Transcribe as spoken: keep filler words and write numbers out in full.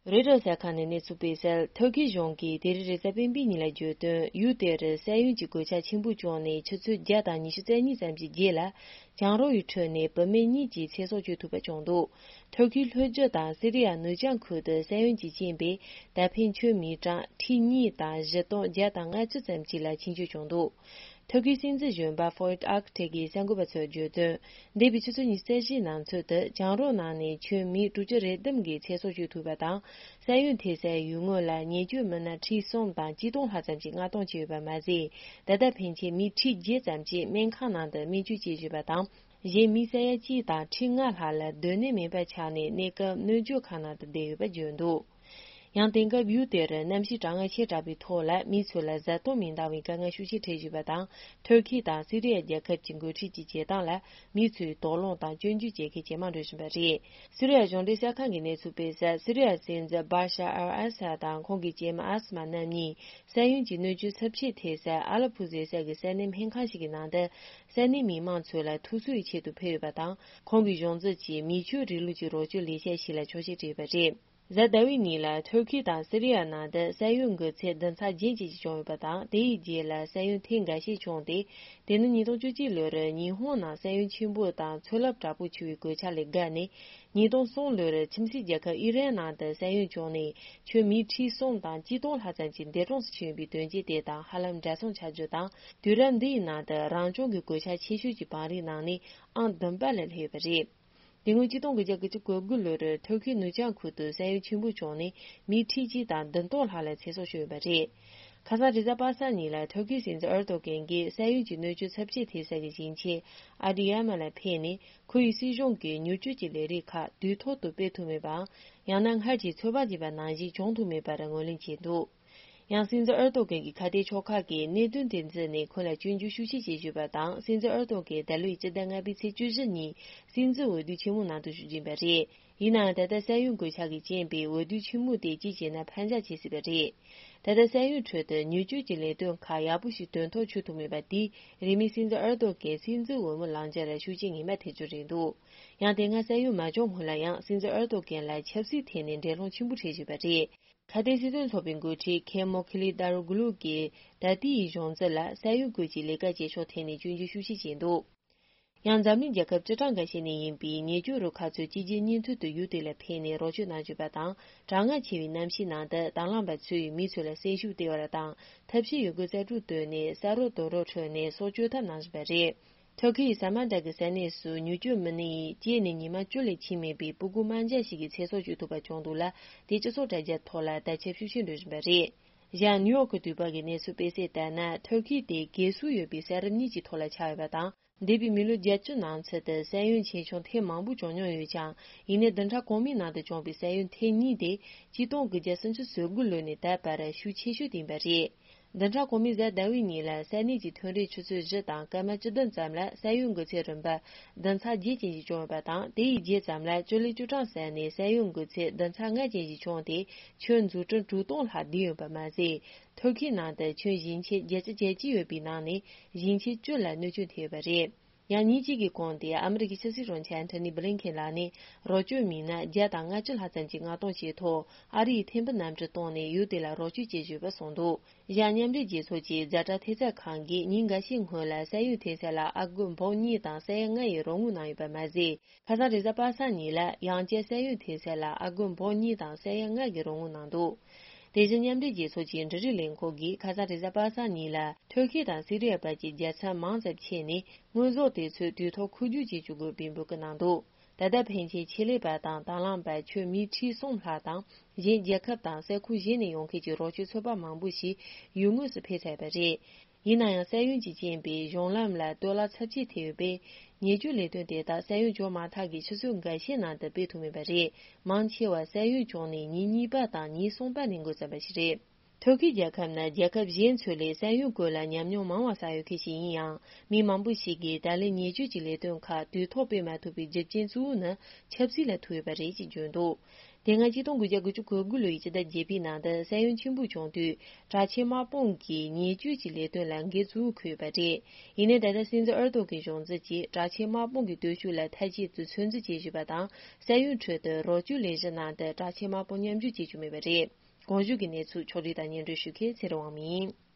རོའི་ཊར་གསར་ཁང་ནས་གནས་ཚུལ་སྤེལ་གསལ། ཐུར་ཁེ་གཞུང་གིས་དེ་རིང་རེས་གཟའ་སྤེན་པའི་ཉིན་ལ་བརྗོད་དོན། ཡུལ་དེར་ས་ཡོམ་གྱི་གོད་ཆག་ཆེན་པོ་བྱུང་ནས་ཆུ་ཚོད་བརྒྱ་དང་ཉི་ཤུ་རྩ་གཉིས་ཙམ་གྱི་རྗེས་ལ། གྱང་རོ་ཡི་ཁྲོད་ནས་བུད་མེད་གཉིས་ཀྱི་ཚེ་སྲོག་གཅོད་ཐུབ་པ་བྱུང་འདུག་ཐུར་ཁེའི་ལྷོ་རྒྱུད་དང་སི་རི་ཡ་ནུབ་བྱང་ཁུལ་དུ་ས་ཡོམ་གྱི་རྐྱེན་པས་ད་ཕན་ཆུ་མིའི་གྲངས་ཁྲི་གཉིས་དང་བཞི་སྟོང་བརྒྱ་དང་ལྔ་བཅུ་ཙམ་ཞིག་ལ་ཆེན་སྐྱོན་བྱུང་འདུག་ཐུར་ཁེའི་སྲིད་འཛིན་གཞོན་པ་ཧྥོ་ཡེད་ཨག་ཐེ་གིས་གསར་འགོད་པ་ཚོར་བརྗོད་དོན། འདས་པའི་ཆུ་ཚོད་ཉི་ཤུ་རྩ་བཞིའི་ནང་ཚུད་དུ་གྱང་རོ་ནང་ནས་ཁྱོན་མི་དྲུག་ཅུ་རེ་བདུན་གྱི་ཚེ་སྲོག་གཅོད་ཐུབ་པ་དང་། ས་ཡོམ་ཐེབས་སའི་ཡུལ་དངོས་ལ་ཉེས་སྐྱོན་མི་སྣ་ཁྲི་གསུམ་དང་གཅིག་སྟོང་ལྷག་ཙམ་ཞིག་མངགས་གཏོང་བྱས་ཡོད་པ་མ་ཟད། ད་ལྟ་ཕན་ཆད་མི་ཁྲི་བརྒྱད་ཙམ་ཞིག་སྨན་ཁང་ནང་དུ་སྨན་བཅོས་བྱེད་བཞིན་པ་དང་། གཞན་མི་ས་ཡ་གཅིག་དང་ཁྲི་ལྔ་ལྷག་ལ་སྡོད་གནས་མེད་པ་ཆགས་ནས་གནས་སྐབས་སྣོལ་འཇོག་ཁང་ནང་དུ་བསྡད་ཡོད་པ་བརྗོད་འདུག་ཡང་དེང་སྐབས་ཡུལ་དེར་གནམ་གཤིས་གྲང་ངར་ཆེ་དྲགས་པའི་ཐོག་ལ་མི་ཚོ་ལ་བཟའ་བཏུང་མི་འདང་བའི་དཀའ་ངལ་ཤུགས་ཆེ་འཕྲད་བཞིན་པ་དང་། ཐུར་ཁེ་དང་སི་རི་ཡ་རྒྱལ་ཁབ་ཀྱི་འགོ་ཁྲིད་ཀྱི་བྱེད་སྟངས་ལ་མི་ཚོས་དོགས་སློང་དང་སྐྱོན་བརྗོད་བྱེད་མཁན་ཇེ་མང་འགྲོ་བཞིན་པ་རེད། སི་རི་ཡ་གཞུང་འབྲེལ་གསར་ཁང་གིས་གནས་ཚུལ་སྤེལ་གསལ། སི་རི་ཡ་སྲིད་འཛིན་བྷ་ཤ་ཨལ་ཨ་སད་དང་ཁོང་གི་སྐྱེས་མ་ཨ་སི་མ་རྣམ་གཉིས་ས་ཡོམ་གྱི་གནོད་སྐྱོན་ཚབས་ཆེ་ཐེབས་སའི་ཨ་ལ་ཕུ་ཟེར་ས་གི་ས་གནས་སྨན་ཁང་ཞིག་གི་ནང་དུ་ས་གནས་མི་མང་ཚོ་ལ་ཐུགས་གསོའི་ཆེད་དུ་ཕེབས་ཡོད་པ་དང་། ཁོང་གི་གཞུང་འཛིན་གྱིས་མི་ཆོས་རིང་ལུགས་ཀྱི་རོགས་སྐྱོར་ལས་འཆར་ཞིག་ལ་ཆོག་མཆན་སྤྲད་ཡོད་པ་རེད། གཟའ་ཟླ་བའི་ཉིན་ལ་ཐུར་ཁེ་དང་སི་རི་ཡ་ནང་དུ་ས་ཡོམ་འགོས་ཚད་བདུན་ཚེག་བརྒྱད་ཅན་ཞིག་བྱུང་ཡོད་པ་དང་། དེ་ཡི་རྗེས་ལ་ས་ཡོམ་ཐེངས་འགའ་ཤས་བྱུང་སྟེ། དེ་ནི་ཉིས་སྟོང་བཅུ་གཅིག་ལོར་ཉི་ཧོང་ནང་ས་ཡོམ་ཆེན་པོ་དང་མཚོ་རླབས་དྲག་པོ་འཕྱུར་བའི་གོད་ཆག་ལས་བརྒལ་ནས། ཉིས་སྟོང་གསུམ་ལོར་ཁྱིམ་མཚེས་རྒྱལ་ཁབ་ཨི་རན་ནང་དུ་ས་ཡོམ་བྱུང་ནས་ཁྱོན་མི་ཁྲི་གསུམ་དང་གཅིག་སྟོང་ལྷག་ཙམ་གྱི་འདས་གྲོངས་སུ་ཕྱིན་པའི་དོན་རྐྱེན་དེ་དང་ཧ་ལམ་འདྲ་མཚུངས་ཆགས་རྒྱུ་དང་། དུས་རབས་འདིའི་ནང་དུ་རང་བྱུང་གི་གོད་ཆག་ཆེ་ཤོས་ཀྱི་བང་རིམ་ནང་ནས་ཨང་བདུན་པ་ལ་སླེབས་ཡོད་པ་རེད། དེ་སྔོན་གཅིག་སྟོང་དགུ་བརྒྱ་དགུ་བཅུ་གོ་དགུ་ལོར་ཐུར་ཁེའི་ནུབ་བྱང་ཁུལ་དུ་ས་ཡོམ་ཆེན་པོ་བྱུང་ནས་མི་ཁྲི་གཅིག་དང་བདུན་སྟོང་ལྷག་ལ་ཚེ་སྲོག་ཤོར་ཡོད་པ་རེད། ཁ་སང་རེས་གཟའ་པ་སངས་ཉིན་ལ་ཐུར་ཁེའི་སྲིད་འཛིན་ཨེར་ཏོ་གན་གྱིས་ས་ཡོམ་གྱི་གནོད་སྐྱོན་ཚབས་ཆེ་ཐེབས་ས་གི་ཞིང་ཆེན་ཨ་ཏི་ཡ་མ་ལ་ཕེབས་ནས། ཁོ་ཡི་སྲིད་གཞུང་གིས་མྱུར་སྐྱོབ་ཀྱི་ལས་རིགས་ཁག་དུས་ཐོག་ཏུ་སྤེལ་ཐུབ་མེད་པའམ། ཡང་ན་སྔར་གྱི་ཚོད་དཔག་བྱས་པ་ནང་བཞིན་བྱུང་ཐུབ་མེད་པར་ངོས་ལེན་བྱས་འདུག་ཡང་སྲིད་འཛིན་ཨེར་ཏོ་གན་གྱི་ཁ་གཏད་ཕྱོགས་ཁག་གིས་གནད་དོན་དེ་མཛད་ནས་ཁོ་ལ་སྐྱོན་བརྗོད་ཤུགས་ཆེ་བྱེད་བཞིན་པ་དང་། སྲིད་འཛིན་ཨེར་ཏོ་གན་ད་ལོའི་སྤྱི་ཟླ་ལྔ་པའི་ཚེས་བཅུ་བཞི་ཉིན་སྲིད་འཛིན་འོས་བསྡུ་ཆེན་མོ་ནང་དུ་ཞུགས་ཀྱིན་པ་རེད། ཡིན་ནའང་། ད་ལྟ་ས་ཡོམ་གོད་ཆག་གིས་རྐྱེན་པས་འོས་བསྡུ་ཆེན་མོ་དེ་གཅིག་བྱས་ན་ཕར་འགྱངས་བྱེད་སྲིད་པ་རེད། ད་ལྟ་ས་ཡོམ་ཁྲོད་དུ་མྱུར་སྐྱོབ་ཀྱི་ལས་དོན་ཁག་ཡག་པོ་ཞིག་དོན་ཐོག་འཁྱོལ་ཐུབ་མེད་པ་དེས། རིང་མིན་སྲིད་འཛིན་ཨེར་ཏོ་གན་སྲིད་འཛིན་འོས་མི་ལངས་རྒྱུར་ཤུགས་རྐྱེན་ངན་པ་ཐེབས་རྒྱུ་རེད་འདུག་ཡང་དེ་སྔ་ས་ཡོམ་མ་བྱུང་སྔོན་ལ་ཡང་སྲིད་འཛིན་ཨེར་ཏོ་གན་ལ་ཆབ་སྲིད་ཐད་ནས་འགྲན་སློང་ཆེན་པོ་འཕྲད་བཞིན་པ་རེད། ཁ་ཏའི་སྲིད་དོན་ཚོགས་པའི་འགོ་ཁྲིད་ཁེ་མོ་ཁི་ལི་ཏཱ་རུ་གུ་ལུ་གིས་ད་ལྟའི་གཞུང་འཛིན་ལ་ས་ཡོམ་སྐོར་གྱི་ལས་ཀ་བྱེད་ཕྱོགས་ཐད་ནས་སྐྱོན་བརྗོད་ཤུགས་ཆེ་བྱས་འདུག་ཡང་འཛམ་གླིང་རྒྱལ་ཁབ་བཅུ་གྲངས་འགའ་ཤས་ནས་ཡིན་པའི་ཉེན་སྐྱོབ་རུ་ཁག་ཚོས་གཅིག་རྗེས་གཉིས་མཐུད་དུ་ཡུལ་དེ་ལ་ཕེབས་ནས་རོགས་སྐྱོབ་གནང་བཞིན་པ་དང་། གྲང་ངར་ཆེ་བའི་གནམ་གཤིས་ནང་དུ་དང་བླངས་པ་ཚོས་མི་ཚོ་ལ་སེམས་ཤུགས་སྟེར་བ་དང་། ཐབས་ཤེས་ཡོད་རྒུ་རྩལ་སྤྲུགས་བཏོན་ནས་ས་རོ་རྡོ་རོག་ཁྲོད་ནས་སྲོག་གཅོད་ཐབས་གནང་བཞིན་པ་རེད། ཐུར་ཁེ་ཡི་ས་མ་འདྲ་གི་ས་གནས་སུ་མྱུར་སྐྱོབ་མི་སྣ་ཡིས་སྐྱེས་ནས་ཉི་མ་བཅུ་ལས་ཕྱིན་མེད་པའི་སྤུ་གུ་དམར་འབྱར་ཞིག་གི་ཚེ་སྲོག་གཅོད་ཐུབ་པ་བྱུང་འདུག་ལ། དེ་སྤྱི་ཚོགས་དྲ་རྒྱ་ཐོག་ལ་དར་ཁྱབ་ཤུགས་ཆེ་འགྲོ་བཞིན་པ་རེད། གཞན་ནིའུ་ཡོག་གི་དུས་བབ་ཀྱི་གནས་ཚུལ་སྤེལ་གསལ་ལྟར་ན། ཐུར་ཁེ་དེ་གས་སྲོལ་ཡོད་པའི་ས་རིམ་གཉིས་ཀྱི་ཐོག་ལ་ཆགས་ཡོད་པ་དང་། འདས་པའི་མི་ལོ་བརྒྱད་ཅུ་ནང་ཚུད་དུ་ས་ཡོམ་ཆེ་ཆུང་ཐེངས་མང་པོ་བྱུང་མྱོང་ཡོད་ཀྱང་། ཡིན་ནའི་བདུན་ཕྲག་གོང་མའི་ནང་དུ་བྱུང་བའི་ས་ཡོམ་ཐེངས་གཉིས་དེ་གཅིག་སྟོང་དགུ་བརྒྱ་སུམ་ཅུ་སོ་དགུ་ལོ་ནས་ད་བར་ཤུགས་ཆེ་ཤོས་དེ་ཡིན་པ་རེད། བདུན་ཕྲག་གོང་མའི་གཟའ་ཟླ་བའི་ཉིན་ལ་ས་གནས་ཀྱི་ཐོན་རས་ཆུ་ཚོད་བཞི་དང་སྐར་མ་བཅུ་བདུན་ཙམ་ལ་ས་ཡོམ་འགོས་ཚད་རིམ་པ་བདུན་ཚེག་བརྒྱད་ཅན་ཞིག་བྱུང་ཡོད་པ་དང་། དེ་ཡི་རྗེས་ཙམ་ལ་ཅོ་ལི་ཅུ་ཀྲང་ས་ནས་ས་ཡོམ་འགོས་ཚད་བདུན་ཚེག་ལྔ་ཅན་ཞིག་བྱུང་སྟེ། ཁྱོན་འཛུགས་སྐྲུན་དྲུག་སྟོང་ལྷག་བསྡུས་ཡོད་པ་མ་ཟད། ཐུར་ཁེའི་ནང་དུ་ཁྱོན་ཞིང་ཆེན་བརྒྱད་ཅུ་གྱ་གཅིག་ཡོད་པའི་ནང་ནས་ཞིང་ཆེན་བཅུ་ལ་གནོད་སྐྱོན་ཐེབས་ཡོད་པ་རེད། ཡང་ཉིན་གཅིག་གི་གོང་དུ་ཨ་མི་རི་ཀའི་ཕྱི་སྲིད་དྲུང་ཆེ་ཨན་ཐོ་ནི་བྷི་ལིན་ཁེན་ལགས་ནས་རོགས་སྐྱོབ་མི་སྣ་བརྒྱ་དང་ལྔ་བཅུ་ལྷག་ཙམ་གྱི་མངགས་གཏོང་བྱས་ཐོག་ཨ་རིའི་ཐེམ་ཕུ་གནམ་གྲུ་བཏང་ནས་ཡུལ་དེ་ལ་རོགས་སྐྱོབ་བྱེད་བཞིན་ཡོད་པ་གསུངས་འདུག་གཞན་མཉམ་འབྲེལ་རྒྱལ་ཚོགས་ཀྱིས་ཛ་དྲག་ཐེབས་རྩ་ཁང་གིས་ཉིན་འགའ་ཤས་སྔོན་ལ་ས་ཡོམ་ཐེབས་ས་ལ་ཨ་སྒོར་འབུམ་གཉིས་དང་ས་ཡ་ལྔ་ཡི་རོགས་དངུལ་གནང་ཡོད་པ་མ་ཟད། ཁ་སང་རེས་གཟའ་པ་སངས་ཉིན་ལ་ཡང་བསྐྱར་ས་ཡོམ་ཐེབས་ས་ལ་ཨ་སྒོར་འབུམ་གཉིས་དང་ས་ཡ་ལྔ་གི་རོགས་དངུལ་གནང་འདུག་དེ་བཞིན་མཉམ་འབྲེལ་རྒྱལ་ཚོགས་ཀྱི་འབྲུ་རིགས་ལས་ཁུངས་ཀྱིས་ཁ་སང་རེས་གཟའ་པ་སངས་ཉིན་ལ་ཐུར་ཁེ་དང་སི་རི་ཡ་བར་གྱི་རྒྱལ་མཚམས་མང་ཙམ་ཕྱེ་ནས་དངོས་ཟོག་དེ་ཚོ་དུས་ཐོག་མཁོ་སྒྲུབ་བྱེད་བཅུག་དགོས་པའི་འབོད་སྐུལ་གནང་འདུག་ད་ལྟ་ཕན་ཆད་ཆེད་ལས་པ་དང་དང་བླངས་པ་ཁྱོན་མི་ཁྲི་གསུམ་ལྷག་དང་། གཞན་རྒྱལ་ཁབ་དང་ས་ཁུལ་གཞན་ནས་ཡོང་མཁན་གྱི་རོགས་སྐྱོབ་ཚོགས་པ་མང་པོ་ཞིག་ཡུལ་དངོས་སུ་ཕེབས་ཚར་བ་རེད། ཡིན་ན་ཡང་། ས་ཡོམ་གྱི་རྐྱེན་པས་གཞུང་ལམ་ལ་གཏོར་བརླག་ཚབས་ཆེ་ཐེབས་ཡོད་པས། ཉེན་བཅོལ་ལས་དོན་དེ་དག་ས་ཡོམ་བྱུང་མ་ཐག་གི་ཆུ་ཚོད་འགའ་ཤས་ནང་དུ་སྤེལ་ཐུབ་མེད་པ་རེད། མང་ཆེ་བ་ས་ཡོམ་བྱུང་ནས་ཉིན་གཉིས་པ་དང་ཉིན་གསུམ་པ་ནས་འགོ་བརྩམས་པ་ཞིག་རེད། ཐུར་ཁེ་རྒྱལ་ཁབ་ནི་རྒྱལ་ཁབ་གཞན་ཚོ་ལས་ས་ཡོམ་སྐོར་ལ་ཉམས་མྱོང་མང་བ་བསགས་ཡོད་མཁན་ཞིག་ཡིན་ཡང་། མི་མང་པོ་ཞིག་གིས་ད་ལན་ཉེན་བཅོལ་གྱི་ལས་དོན་ཁག་དུས་ཐོག་སྤེལ་མ་ཐུབ་པའི་རྒྱུ་རྐྱེན་གཙོ་བོ་ནི་ཆབ་སྲིད་ལ་ཐུག་ཡོད་པ་རེད་ཅེས་བརྗོད་འདུག་དེ་སྔ་ཆིག་སྟོང་དགུ་བརྒྱ་དགུ་བཅུ་གོ་དགུ་ལོའི་ཕྱི་ཟླ་བརྒྱད་པའི་ནང་དུ་ས་ཡོམ་ཆེན་པོ་བྱུང་དུས་དྲག་ཆས་དམག་དཔུང་གིས་ཉེས་གཅོད་ཀྱི་ལས་དོན་ལ་འགན་གཙོ་བོ་འཁུར་ཡོད་པ་རེད། ཡིན་ནའི་ད་ལྟ་སྲིད་འཛིན་ཨར་ཏོ་གི་གཞུང་འཛིན་གྱིས་དྲག་ཆས་དམག་དཔུང་གི་སྟོབས་ཤུགས་ལ་མཐའ་གཅིག་ཏུ་ཚོད་འཛིན་བྱེད་བཞིན་པ་དང་། ས་ཡོམ་ཁྲོད་དུ་རོགས་སྐྱོར་ལས་གཞི་ནང་དུ་དྲག་ཆས་དམག་དཔུང་མཉམ་ཞུགས་བྱེད་རྒྱུ་མེད་པ་རེད། གོང་ཞུས་ཀྱི་གནས་ཚུལ་ཕྱོགས་སྒྲིག་དང་སྙན་སྒྲོན་ཞུ་མཁན་ཚེ་རིང་དབང་མོ་ཡིན།